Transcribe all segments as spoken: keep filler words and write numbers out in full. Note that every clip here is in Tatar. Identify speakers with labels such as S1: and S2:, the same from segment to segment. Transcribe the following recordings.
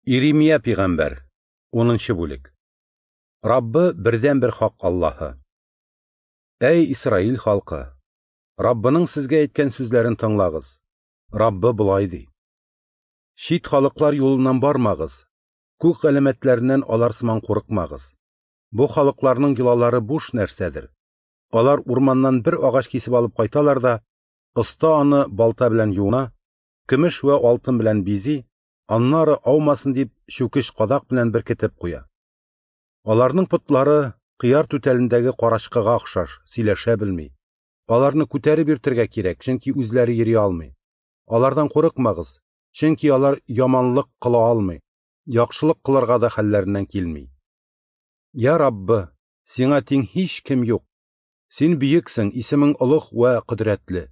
S1: Иремия пәйгамбәр, унынчы бүлек. Раббы бердәнбер хак Аллаһы. Әй Исраил халкы, Раббының сезгә әйткән сүзләрен тыңлагыз. Раббы болай ди: Чит халыклар юлыннан бармагыз, күк галәмәтләреннән алар сыман курыкмагыз. Бу халыкларның йолалары буш нәрсәдер. Алар урманнан бер агач кисеп алып кайталар да, оста аны балта белән юына, көмеш вә алтын белән бизи, аннары аумасын дип чүкеч кадак белән беркетеп куя. Аларның потлары кыяр түтәлендәге карачкыга охшаш, сөйләшә белми. Аларны күтәреп йөртергә кирәк, чөнки үзләре йөри алмый. Алардан курыкмагыз, чөнки алар яманлык кыла алмый, яхшылык кылырга да хәлләреннән килми. Я Раббы, сиңа тиң һич кем юк. Син бөексең, исемең олуг вә кодрәтле.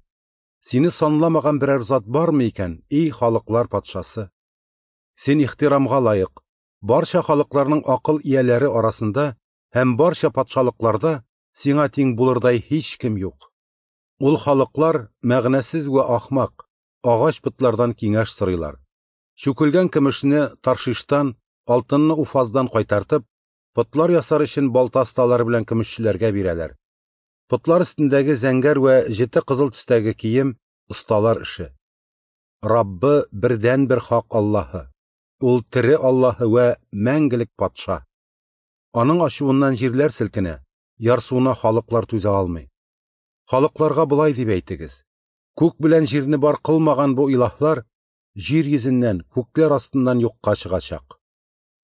S1: Сине санламаган берәр зат бармы икән, эй халыклар патшасы? Син ихтирамга лаек, барча халыкларның акыл ияләре арасында һәм барча патшалыкларда сиңа тиң булырдай һич кем юк. Ул халыклар мәгънәсез вә ахмак, агач потлардан киңәш сорыйлар. Чүкелгән көмешне Таршиштан, алтынны Уфаздан кайтартып, потлар ясар өчен балта осталары белән көмешчеләргә бирәләр. Потлар өстендәге зәңгәр вә җете кызыл төстәге кием осталар эше. Раббы бердәнбер хак Аллаһы. Ул тере Аллаһы вә мәңгелек патша. Аның ачуыннан җирләр селкенә, ярсуына халыклар түзә алмый. Халыкларга болай дип әйтегез: күк белән җирне бар кылмаган бу илаһлар җир йөзеннән, күкләр астыннан юкка чыгачак.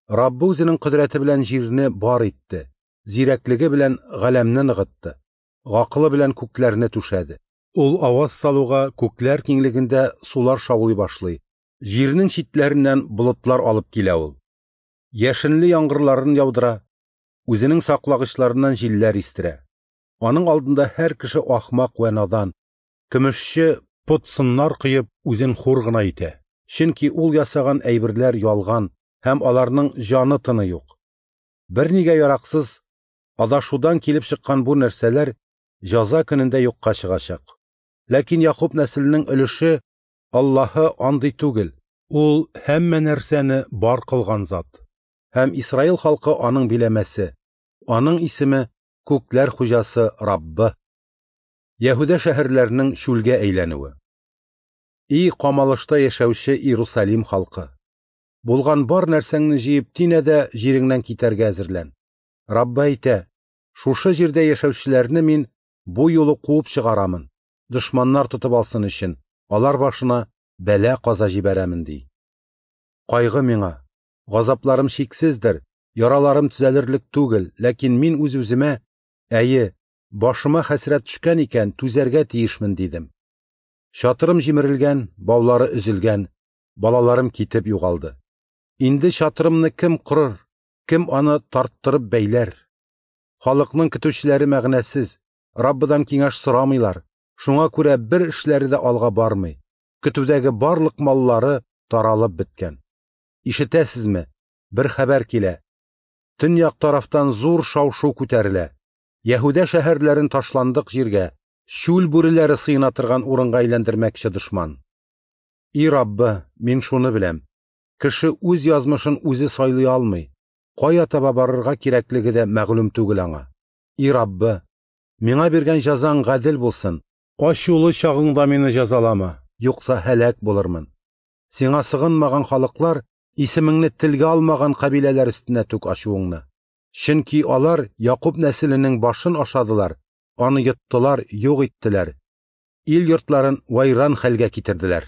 S1: Раббы үзенең кодрәте белән җирне бар итте, зирәклеге белән галәмне ныгытты, гакылы белән күкләрне түшәде. Ул аваз салуга күкләр киңлегендә сулар шаулый башлый. Җирнең читләреннән болытлар алып килә ул. Яшенле яңгырларын яудыра, үзенең саклагычларыннан җилләр истерә. Аның алдында һәр кеше ахмак вә надан, көмешче пот сыннар коеп үзен хур гына итә. Чөнки ул ясаган әйберләр ялган һәм аларның җаны тыны юк. Бернигә яраксыз, адашудан килеп чыккан бу нәрсәләр җәза көнендә юкка чыгачак. Ләкин Якуб нәселенең өлеше Аллаһы андый түгел. Ул һәммә нәрсәне бар кылган зат. Һәм Исраил халкы аның биләмәсе. Аның исеме күкләр хуҗасы Раббы. Яһүдә шәһәрләренең чүлгә әйләнүе. И камалышта яшәүче Иерусалим халкы, булган бар нәрсәңне җыеп тинә дә җиреңнән китәргә әзерлән. Раббы әйтә: шушы җирдә яшәүчеләрне мин бу юлы куып чыгарамын, дошманнар тотып алсын өчен, алар башына бәла каза җибәрәмен, ди. Кайгы миңа, газапларым чиксездер, яраларым төзәлерлек түгел, ләкин мин үз-үземә: әйе, башыма хәсрәт төшкән икән, түзәргә тиешмен, дидем. Чатырым җимерелгән, баулары өзелгән, балаларым китеп югалды. Инде чатырымны кем корыр, кем аны тарттырып бәйләр? Халыкның көтүчеләре мәгънәсез, Раббыдан киңәш сорамыйлар. Шуңа күрә бер эшләре дә алга бармый. Көтүдәге барлык маллары таралып беткән. Ишетәсезме? Бер хәбәр килә. Төньяк тарафтан зур шау-шу күтәрелә. Яһүдә шәһәрләрен ташландык җиргә, чүл бүреләре сыена торган урынга әйләндермәкче дошман. И Раббы, мин шуны беләм: кеше үз язмышын үзе сайлый алмый, кая таба барырга кирәклеге дә мәгълүм түгел аңа. И Раббы, миңа биргән җәзаң гадел булсын. Ачулы чагыңда мине җәзалама, юкса һәлак булырмын. Сиңа сыгынмаган халыклар, исемеңне телгә алмаган кабиләләр өстенә түк ачуыңны. Чөнки алар Якуб нәселенең башын ашадылар, аны йоттылар, юк иттеләр. Ил йортларын вайран хәлгә китерделәр.